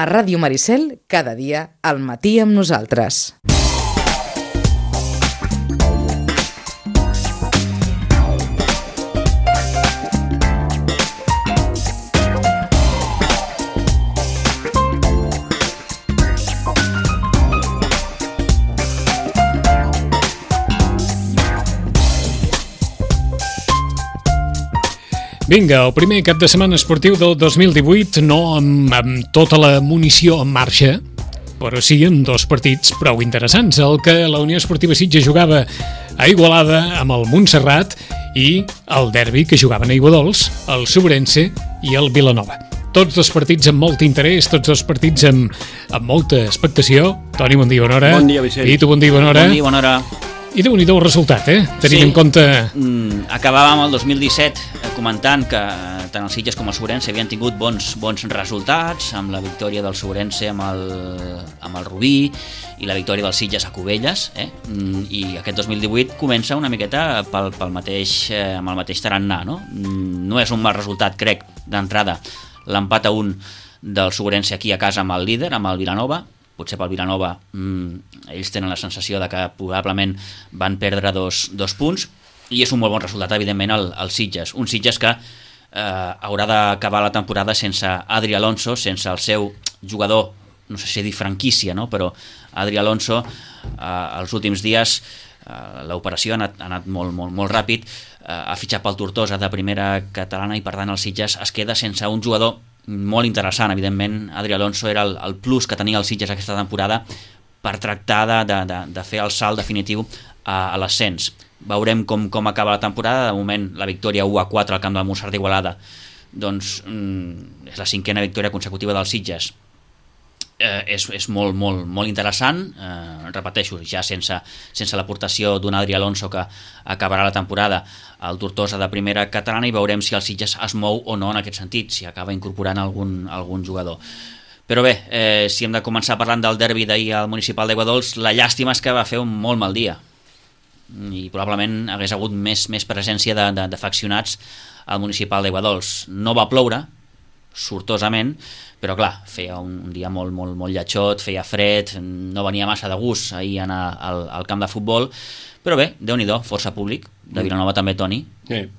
A Ràdio Maricel, cada dia, al matí amb nosaltres. Vinga, el primer cap de setmana esportiu del 2018, no amb tota la munició en marxa, però sí amb dos partits prou interessants. El que la Unió Esportiva Sitges jugava a Igualada amb el Montserrat i el derbi que jugaven a Aiguadols, el Sobrense i el Vilanova. Tots dos partits amb molt interès, tots dos partits amb molta expectació. Toni, bon dia, bona hora. Bon dia, Vicent. I tu, bon dia, bona hora. Bon dia, bona hora. I déu-n'hi-do el resultat, tenint en compte... Acabàvem el 2017 comentant que tant el Sitges com el Sobrense havien tingut bons resultats, amb la victòria del Sobrense amb el Rubí i la victòria del Sitges a Cubelles, i aquest 2018 comença una miqueta amb el mateix tarannà, no? No és un mal resultat, crec, d'entrada, l'empat a 1 del Sobrense aquí a casa amb el líder, amb el Vilanova. Potser pel Vilanova ells tenen la sensació de que probablement van perdre dos punts, i és un molt bon resultat, evidentment, el Sitges. Un Sitges que haurà d'acabar la temporada sense Adri Alonso, sense el seu jugador, no sé si dir franquícia, no? Però Adri Alonso, els últims dies, l'operació ha anat molt ràpid, ha fitxat pel Tortosa de primera catalana i, per tant, el Sitges es queda sense un jugador molt interessant. Evidentment, Adri Alonso era el plus que tenia el Sitges aquesta temporada per tractar de fer el salt definitiu a l'ascens. Veurem com acaba la temporada. De moment, la victòria 1-4 al camp del Montserrat d'Igualada, doncs és la 5a victòria consecutiva del Sitges. És molt interessant, repeteixo, ja sense l'aportació d'un Adri Alonso que acabarà la temporada al Tortosa de primera catalana, i veurem si el Sitges es mou o no en aquest sentit, si acaba incorporant algun jugador. Però bé, si hem de començar parlant del derbi d'ahir al municipal d'Aiguadols, la llàstima és que va fer un molt mal dia i probablement hagués hagut més presència d'afeccionats al municipal d'Aiguadols. No va ploure, sortosament, però clar, feia un dia molt lletjot, feia fred, no venia massa de gust ahir anar al camp de futbol, però bé, Déu-n'hi-do, força públic, de Vilanova també, Toni,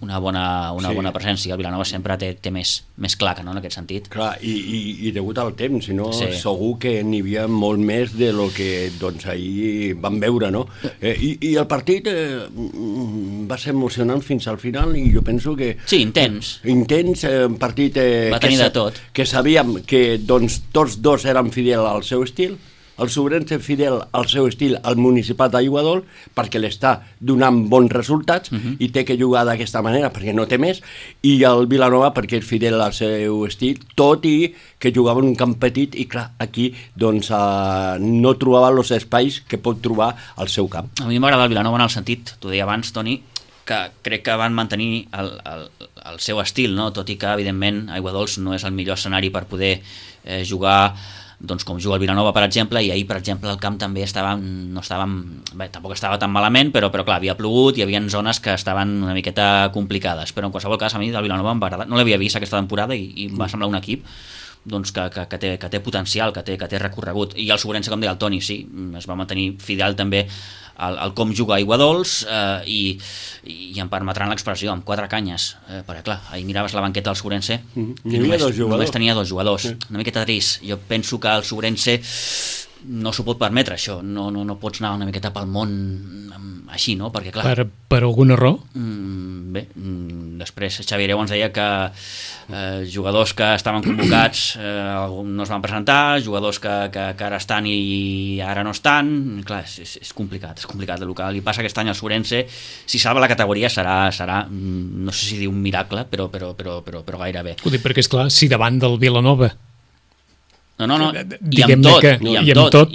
una bona presència. El Vilanova sempre té més claca, no?, en aquest sentit. Clar, i degut al temps, si no, segur que n'hi havia molt més de lo que doncs ahir vam veure, no? I el partit va ser emocionant fins al final, i jo penso que... Sí, intens, un partit va tenir de tot, que sabíem que doncs tots dos eren fidels al seu estil, el Sobrense fidel al seu estil al municipal d'Aiguadols, perquè l'està donant bons resultats i té que jugar d'aquesta manera perquè no té més, i el Vilanova perquè és fidel al seu estil, tot i que jugava en un camp petit, i clar, aquí doncs no trobava els espais que pot trobar al seu camp. A mi m'agrada el Vilanova en el sentit, t'ho deia abans, Toni, que crec que van mantenir el seu estil, no? Tot i que evidentment Aiguadols no és el millor escenari per poder jugar doncs com juga el Vilanova, per exemple, i ahir, per exemple, el camp també tampoc estava tan malament, però clar, havia plogut, hi havia zones que estaven una miqueta complicades, però en qualsevol cas a mi del Vilanova em va agradar, no l'havia vist aquesta temporada i em va semblar un equip doncs que té potencial, que té recorregut. I el Sobrense, com deia el Toni, sí, es va mantenir fidel també al com juga Aiguadols, i em permetran l'expressió, amb 4 canyes, perquè clar, ahir miraves la banqueta del Sobrense i només tenia 2 jugadors, una miqueta trist. Jo penso que el Sobrense no s'ho pot permetre, això, no pots anar una miqueta pel món així, no? Perquè clar... Per algun error? Bé, després Xavier ens deia que jugadors que estaven convocats no es van presentar, jugadors que ara estan i ara no estan, clar, és complicat el que li passa aquest any al Sobrense. Si salva la categoria serà no sé si dir un miracle, però gairebé. Ho dic perquè, esclar, si davant del Vilanova No, i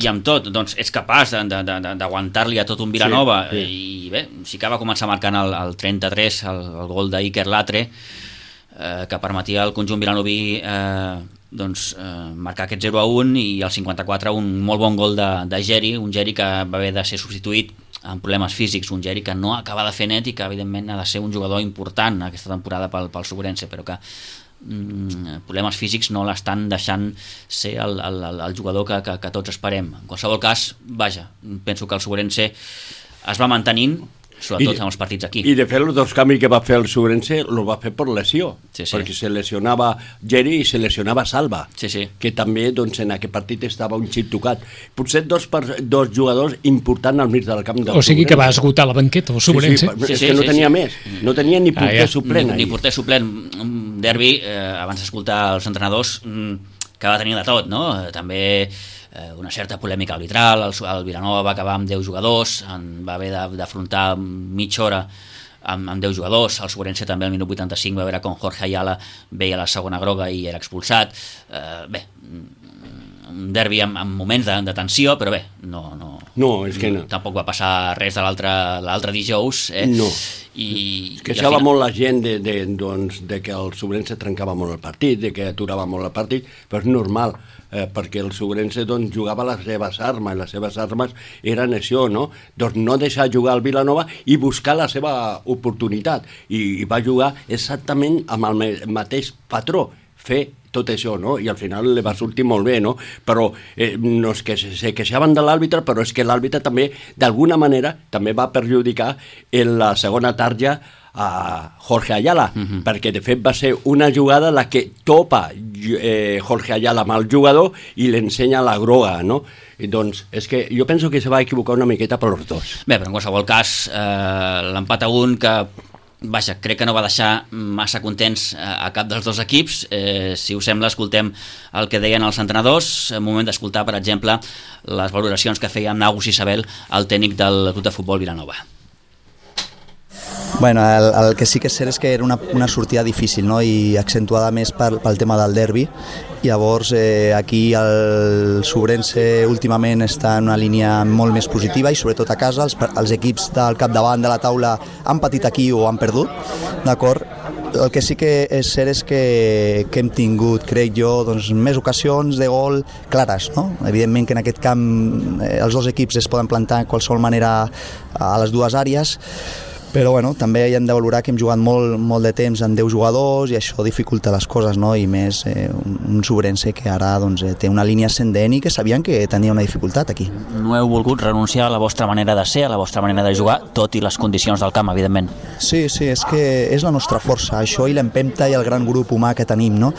amb tot, doncs és capaç d'aguantar-li a tot un Vilanova, i bé, sí que va començar marcant el 33, el gol d'Iker Latre, que permetia al conjunt vilanoví marcar aquest 0-1, i al 54 un molt bon gol de Geri, un Geri que va haver de ser substituït amb problemes físics, un Geri que no acaba de fer net i que evidentment ha de ser un jugador important aquesta temporada pel Sobrense, però que problemes físics no l'estan deixant ser el jugador que tots esperem. En qualsevol cas, vaja, penso que el Sobrense es va mantenint, sobretot en els partits aquí. I de fet els dos canvis que va fer el Sobrense els va fer per lesió, perquè se lesionava Geri i se lesionava Salva, que també doncs, en aquest partit estava un xip tocat. Potser dos jugadors importants al mig del camp del O sigui que va esgotar la banqueta el Sobrense. És que no tenia més, no tenia ni porter suplent. Ni porter suplent. Derbi, abans d'escoltar els entrenadors, que va tenir de tot, no? També una certa polèmica arbitral, el Vilanova va acabar amb 10 jugadors, va haver d'afrontar mitja hora amb 10 jugadors, el Sobrense també al minut 85 va veure com Jorge Ayala veia la segona groga i era expulsat. Bé, un derbi amb moments de tensió, però bé, tampoc va passar res de l'altre dijous. No, es queixava molt la gent de que el Sobrense trencava molt el partit, de que aturava molt el partit, però és normal, perquè el Sobrense jugava les seves armes, i les seves armes eren això, no? Doncs no deixar jugar el Vilanova i buscar la seva oportunitat, i va jugar exactament amb el mateix patró, fer tot això, no? I al final li va sortir molt bé, no? Però no és que se queixaven de l'àrbitre, però és que l'àrbitre també, d'alguna manera, també va perjudicar en la segona tarda a Jorge Ayala, perquè de fet va ser una jugada la que topa Jorge Ayala amb el jugador i l'ensenya la groga, no? I doncs és que jo penso que se va equivocar una miqueta per els dos. Bé, però en qualsevol cas, l'empat a 1 que vaja, crec que no va deixar massa contents a cap dels dos equips. Si us sembla, escoltem el que deien els entrenadors. En moment d'escoltar, per exemple, les valoracions que feia Nagus Isabel, el tècnic del Club de Futbol Vilanova. Bueno, el que sí que és cert és que era una sortida difícil, no? I accentuada més pel tema del derbi. Llavors aquí el Sobrense últimament està en una línia molt més positiva i sobretot a casa els equips del capdavant de la taula han patit aquí o han perdut, d'acord? El que sí que és cert és que hem tingut, crec jo, doncs, més ocasions de gol clares, no? Evidentment que en aquest camp els dos equips es poden plantar de qualsevol manera a les dues àrees, però bueno, també hi hem de valorar que hem jugat molt de temps amb 10 jugadors i això dificulta les coses, no? I més un Sobrense que ara doncs, té una línia ascendent i que sabien que tenia una dificultat aquí. No heu volgut renunciar a la vostra manera de ser, a la vostra manera de jugar, tot i les condicions del camp, evidentment. Sí, és que és la nostra força, això i l'empenta i el gran grup humà que tenim, no?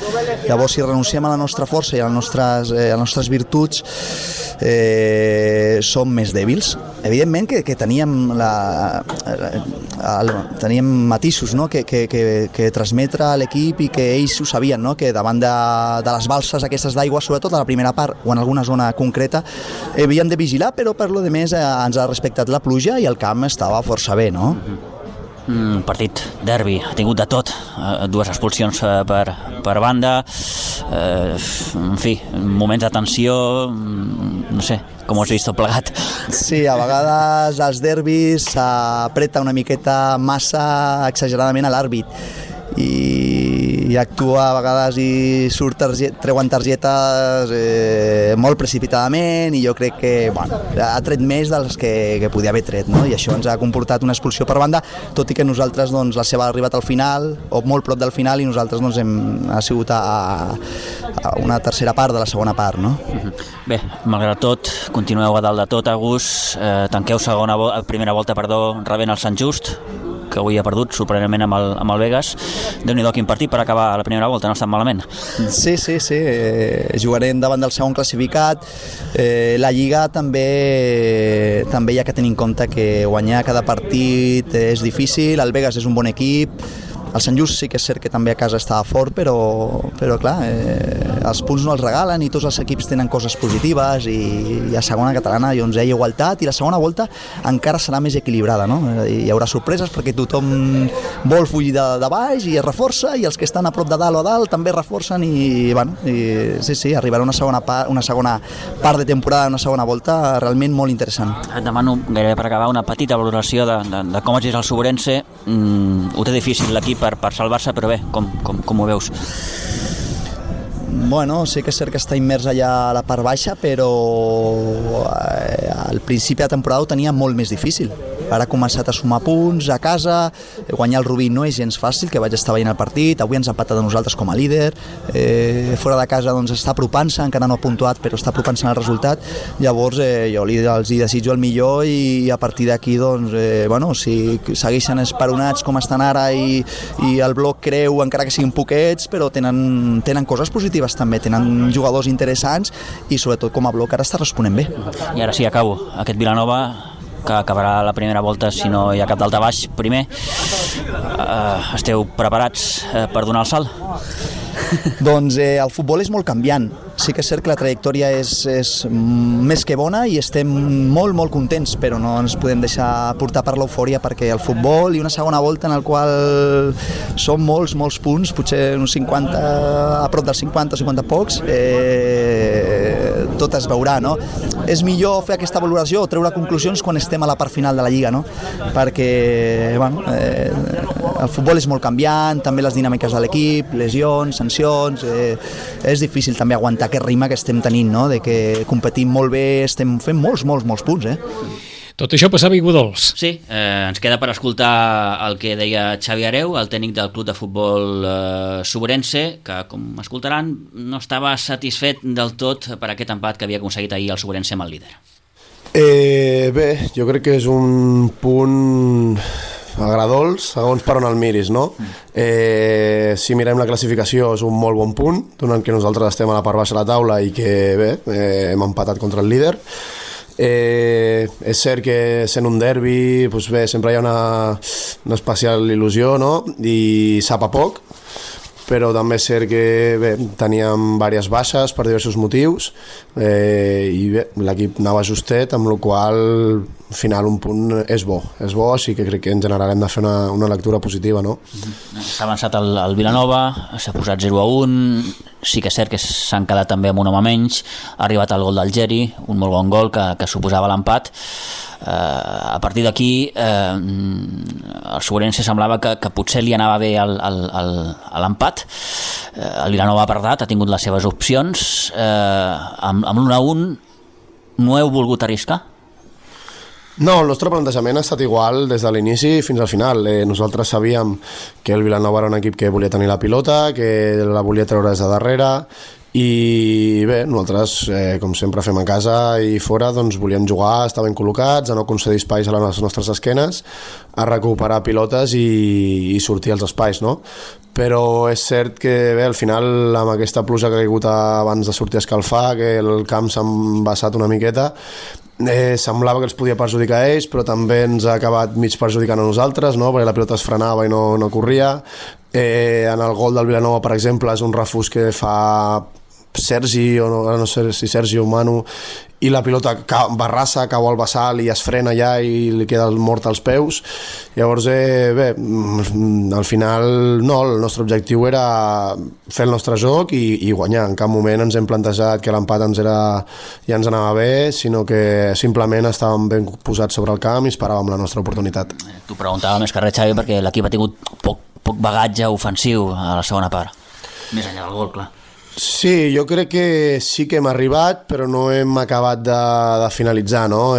Llavors, si renunciem a la nostra força i a les nostres virtuts, som més dèbils. Evidentment que teníem teníem matisos, no? que transmetre a l'equip i que ells ho sabien, no? Que davant de les balses aquestes d'aigua, sobretot a la primera part o en alguna zona concreta, havíem de vigilar, però per lo de més ens ha respectat la pluja i el camp estava força bé, no? Partit derbi, ha tingut de tot, 2 expulsions per banda, en fi, moments de tensió, no sé, com ho has vist tot plegat? Sí, a vegades als derbis s'apreta una miqueta massa exageradament a l'àrbit i actua a vegades i treuen targetes molt precipitadament i jo crec que ha tret més dels que podia haver tret, no? I això ens ha comportat una expulsió per banda, tot i que nosaltres doncs, la seva ha arribat al final o molt prop del final i nosaltres doncs, ha sigut a una tercera part de la segona part, no? Bé, malgrat tot, continueu a dalt de tot, Agus, tanqueu primera volta, rebent el Sant Just, que avui ha perdut sorprenentment amb el Vegas. Déu-n'hi-do quin partit per acabar la primera volta, no ha estat malament. Sí, jugarem davant del segon classificat. La Lliga també hi ha que tenir en compte que guanyar cada partit és difícil, el Vegas és un bon equip, el Sant Just sí que és cert que també a casa estava fort, però clar, els punts no els regalen i tots els equips tenen coses positives i a segona catalana doncs, hi ha igualtat i la segona volta encara serà més equilibrada, no? Hi haurà sorpreses perquè tothom vol fugir de baix i es reforça i els que estan a prop de dalt o a dalt també reforcen i sí, arribarà una segona part de temporada, una segona volta realment molt interessant. Et demano gairebé per acabar una petita valoració de com és el Sobrense. Ho té difícil l'equip per salvar-se, però bé, com ho veus? Bueno, sí que és cert que està immers allà a la part baixa, però al principi de temporada ho tenia molt més difícil. ara ha començat a sumar punts a casa, guanyar el Rubí no és gens fàcil, que vaig estar veient el partit, avui ens ha empatat a nosaltres com a líder, fora de casa doncs està apropant-se, encara no ha puntuat però està apropant-se al resultat, llavors jo els hi desitjo el millor i a partir d'aquí doncs, si segueixen esperonats com estan ara i el bloc creu encara que siguin poquets, però tenen coses positives també, tenen jugadors interessants i sobretot com a bloc ara està responent bé. I ara sí, acabo. Aquest Vilanova que acabarà la primera volta si no hi ha cap daltabaix primer. Esteu preparats per donar el salt? Doncs el futbol és molt canviant. Sí que és cert que la trajectòria és més que bona i estem molt, molt contents, però no ens podem deixar portar per l'eufòria perquè el futbol i una segona volta en el qual són molts punts, potser uns 50, a prop dels 50 o 50 pocs, tot es veurà, no? És millor fer aquesta valoració o treure conclusions quan estem a la part final de la Lliga, no? Perquè el futbol és molt canviant, també les dinàmiques de l'equip, lesions, sancions, és difícil també aguantar aquest ritme que estem tenint, no? De que competim molt bé, estem fent molts punts, Tot això passava a Iguadols. Sí, ens queda per escoltar el que deia Xavi Hereu, el tècnic del club de futbol Sobrense, que, com escoltaran, no estava satisfet del tot per aquest empat que havia aconseguit ahir el Sobrense amb el líder. Bé, jo crec que és un punt agradols, segons per on el miris, no? Si mirem la classificació és un molt bon punt, donant que nosaltres estem a la part baixa de la taula i que bé, hem empatat contra el líder. És cert que sent un derbi doncs bé, sempre hi ha una especial il·lusió, no? I sap a poc, però també és cert que bé, teníem diverses baixes per diversos motius i bé, l'equip anava justet, amb la qual al final un punt és bo, així que crec que en general hem de fer una lectura positiva, no? S'ha avançat el Vilanova, s'ha posat 0-1, sí que és cert que s'han quedat també amb un home menys, ha arribat el gol del Geri, un molt bon gol que suposava l'empat. A partir d'aquí el Sobrense semblava que potser li anava bé l'empat. El Vilanova ha apertat, ha tingut les seves opcions, amb l'1-1 no heu volgut arriscar? No, el nostre plantejament ha estat igual des de l'inici fins al final. Nosaltres sabíem que el Vilanova era un equip que volia tenir la pilota, que la volia treure des de darrere, i bé, nosaltres, com sempre fem a casa i fora, doncs volíem jugar, estar ben col·locats, a no concedir espais a les nostres esquenes, a recuperar pilotes i sortir als espais, no? Però és cert que bé, al final, amb aquesta pluja que ha caigut abans de sortir a escalfar, que el camp s'ha embassat una miqueta, semblava que els podia perjudicar a ells, però també ens ha acabat mig perjudicant a nosaltres, no? Perquè la pilota es frenava i no corria. En el gol del Vilanova, per exemple, és un refús que fa Sergi, o no sé si Sergi o Manu, i la pilota barrassa, cau al bassal i es frena allà i li queda el mort als peus. Llavors, bé, al final no, el nostre objectiu era fer el nostre joc i guanyar. En cap moment ens hem plantejat que l'empat ja ens anava bé, sinó que simplement estàvem ben posats sobre el camp i esperàvem la nostra oportunitat. T'ho preguntava més que res, Xavi, perquè l'equip ha tingut poc bagatge ofensiu a la segona part, més enllà del gol, clar. Sí, jo crec que sí que hem arribat, però no hem acabat de finalitzar, no?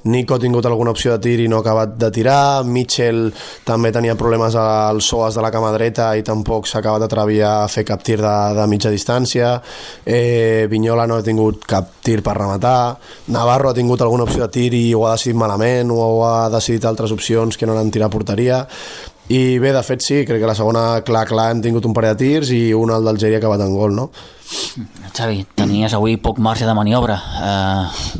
Nico ha tingut alguna opció de tir i no ha acabat de tirar, Mitchell també tenia problemes al psoas de la cama dreta i tampoc s'ha acabat d'atrevir a fer cap tir de mitja distància, Vignola no ha tingut cap tir per rematar, Navarro ha tingut alguna opció de tir i ho ha decidit malament o ha decidit altres opcions que no n'han tirat a porteria. I bé, de fet sí, crec que la segona clar hem tingut un parell de tirs i un el del Geri ha acabat en gol, no? Xavi, tenies avui poc marge de maniobra,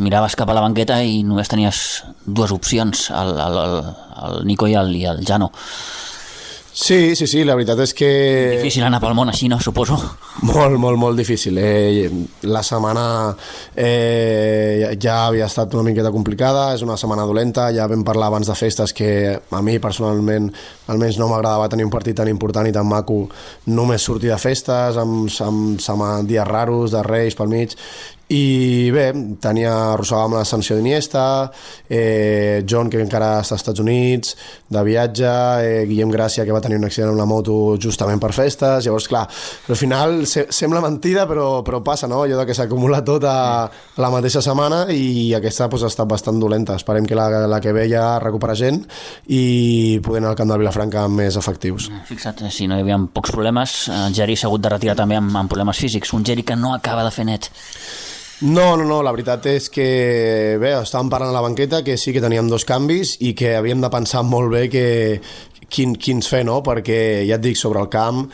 miraves cap a la banqueta i només tenies dues opcions, el Nico i el Jano. Sí, la veritat és que... Difícil anar pel món així, no? Suposo. Molt difícil. La setmana ja havia estat una miqueta complicada, és una setmana dolenta, ja vam parlar abans de festes que a mi personalment almenys no m'agradava tenir un partit tan important i tan maco només sortir de festes, amb dies raros, de Reis pel mig, i bé, arrossegàvem la sanció d'Iniesta, John, que encara està als Estats Units de viatge, Guillem Gràcia, que va tenir un accident amb la moto justament per festes. Llavors, clar, al final sembla mentida, però passa, no? Allò que s'acumula tot a la mateixa setmana, i aquesta ha estat bastant dolenta. Esperem que la que ve ja recupera gent i poder anar al camp de Vilafranca més efectius. Fixa't, si no hi havia pocs problemes, el Geri s'ha hagut de retirar també amb problemes físics, un Geri que no acaba de fer net. No, la veritat és que bé, estàvem parlant a la banqueta que sí que teníem 2 canvis i que havíem de pensar molt bé quins fer, no? Perquè ja et dic, sobre el camp,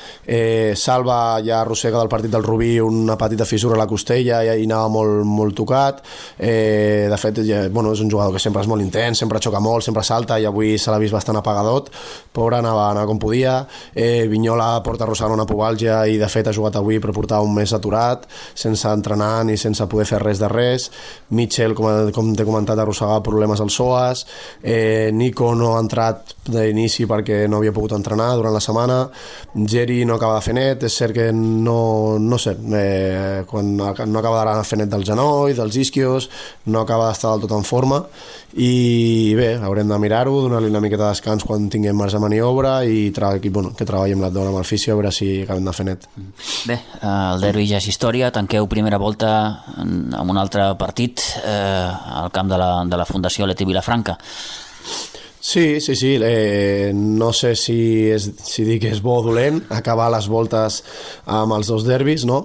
Salva ja arrossega del partit del Rubí una petita fissura a la costella i anava molt tocat. De fet, és un jugador que sempre és molt intens, sempre xoca molt, sempre salta, i avui se l'ha vist bastant apagadot. Pobre, anava com podia. Vignola porta arrossegant una pubalgia i de fet ha jugat avui però portava un mes aturat, sense entrenar ni sense poder fer res de res. Mitchell, com t'he comentat, arrossegava problemes al psoas. Nico no ha entrat d'inici perquè no havia pogut entrenar durant la setmana. Geri no acaba de fer net, és cert que no sé, quan no acaba de fer net del genoll, dels isquios, no acaba d'estar del tot en forma, i bé, haurem de mirar-ho, donar-li una miqueta de descans quan tinguem marge de maniobra i que treballem l'abdomen amb el fisio, a veure si acabem de fer net. Bé, el derbi ja és història, tanqueu primera volta amb un altre partit al camp de la Fundació Leti Vilafranca. Sí, no sé si dir que és bo o dolent acabar les voltes amb els 2 derbis, no?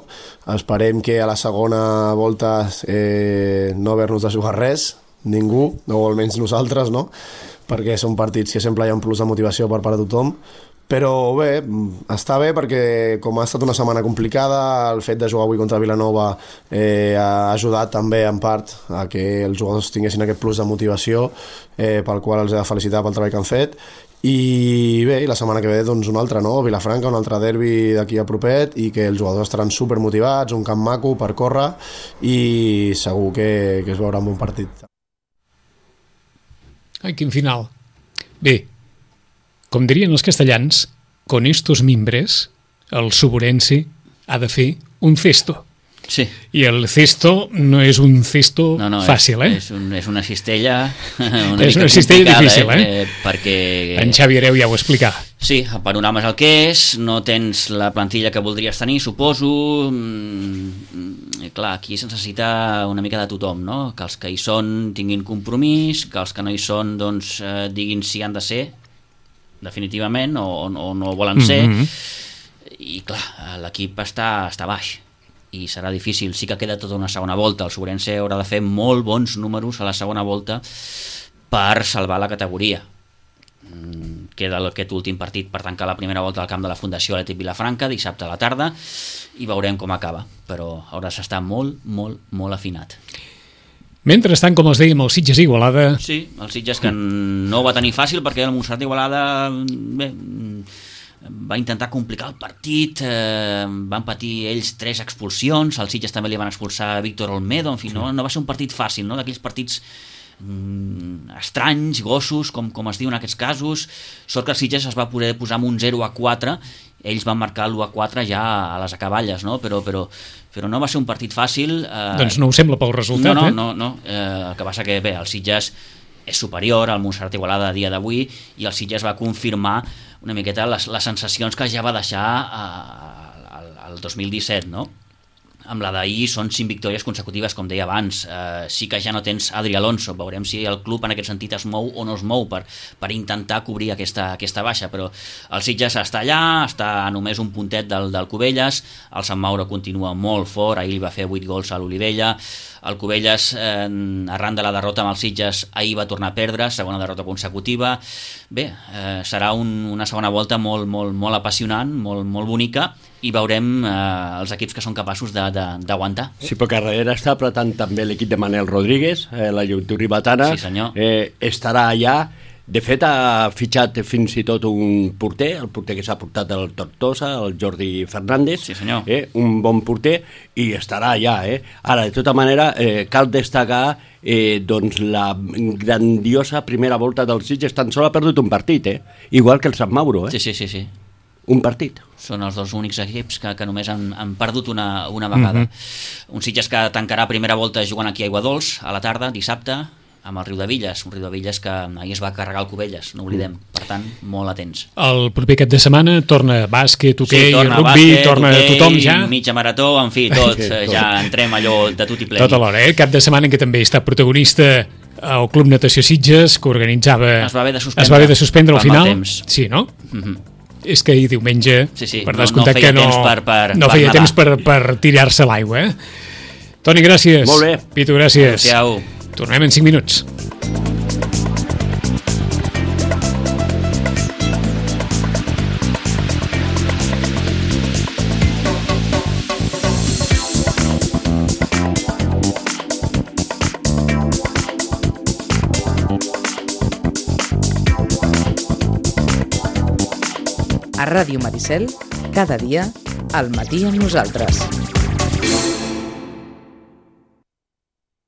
Esperem que a la segona volta no haver-nos de jugar res, ningú, o almenys nosaltres, no? Perquè són partits que sempre hi ha un plus de motivació per part de tothom. Però bé, està bé perquè com ha estat una setmana complicada, el fet de jugar avui contra Vilanova ha ajudat també en part a que els jugadors tinguessin aquest plus de motivació, pel qual els he de felicitar pel treball que han fet. I bé, la setmana que ve doncs un altre, no? Vilafranca, un altre derbi d'aquí a propet, i que els jugadors estaran supermotivats, un camp maco per córrer, i segur que es veurà un bon partit. Ai, quin final. Bé, com dirien els castellans, con estos mimbres, el suburense ha de fer un cesto. Sí. I el cesto no és un cesto fàcil, És una cistella és una cistella difícil, perquè... En Xavi Hereu ja ho explicava. Sí, el panorama és el que és, no tens la plantilla que voldries tenir, suposo. Clar, aquí es necessita una mica de tothom, no? Que els que hi són tinguin compromís, que els que no hi són doncs, diguin si han de ser, definitivament, o no volen ser. I clar, l'equip està baix i serà difícil. Sí que queda tota una segona volta, el Sobrense haurà de fer molt bons números a la segona volta per salvar la categoria. Queda aquest últim partit per tancar la primera volta al camp de la Fundació Atlètic Vilafranca dissabte a la tarda i veurem com acaba, però haurà d'estar molt afinat. Mentrestant, com els dèiem, el Sitges Igualada... Sí, el Sitges que no va tenir fàcil perquè el Montserrat Igualada va intentar complicar el partit, van patir ells 3 expulsions, al Sitges també li van expulsar Víctor Olmedo, en fi, no va ser un partit fàcil, no? D'aquells partits estranys, gossos, com es diu en aquests casos. Sort que el Sitges es va poder posar amb un 0-4, ells van marcar l'1-4 ja a les acaballes, no? Però no va ser un partit fàcil. Doncs no ho sembla pel resultat, No. El que passa que, bé, el Sitges és superior al Montserrat Igualada a dia d'avui i el Sitges va confirmar una miqueta les sensacions que ja va deixar el 2017, no? Amb la d'ahir són 5 victòries consecutives, com deia abans. Sí que ja no tens Adri Alonso, veurem si el club en aquest sentit es mou o no es mou per intentar cobrir aquesta baixa, però el Sitges està allà, està a només un puntet del Cubelles, el Sant Mauro continua molt fort, ahir li va fer 8 gols a l'Olivella, el Cubelles, arran de la derrota amb el Sitges, ahir va tornar a perdre, segona derrota consecutiva. Bé, serà una segona volta molt apassionant, molt bonica, i veurem els equips que són capaços d'aguantar. Sí, perquè darrere està apretant també l'equip de Manel Rodríguez, la Joventut Ribetana. Sí, senyor. Estarà allà. De fet, ha fitxat fins i tot un porter, el porter que s'ha portat del Tortosa, el Jordi Fernández. Sí, senyor. Un bon porter, i estarà allà. Ara, de tota manera, cal destacar doncs la grandiosa primera volta del Sitges. Tan sols ha perdut un partit, igual que el Sant Mauro. Sí. un partit. Són els dos únics equips que només han perdut una vegada. Un Sitges que tancarà primera volta jugant aquí a Aiguadols a la tarda, dissabte, amb el Riudevilles, un Riudevilles que ahir es va carregar el Cubelles, no oblidem, per tant, molt atents. El proper cap de setmana torna bàsquet, hoquei, torna rugby, bàsquet, torna hoquei, tothom ja. Mitja marató, en fi, tot, ja entrem allò de tot i ple. Tot alhora, Cap de setmana en què també està protagonista el Club Natació Sitges, que organitzava... Es va haver de suspendre al final. Sí, no? És que ahir diumenge, per descomptat que no feia temps per tirar-se l'aigua. Toni, gràcies. Molt bé. Pitu, gràcies. Adéu. Tornem en 5 minuts. A Ràdio Maricel, cada dia, al matí amb nosaltres.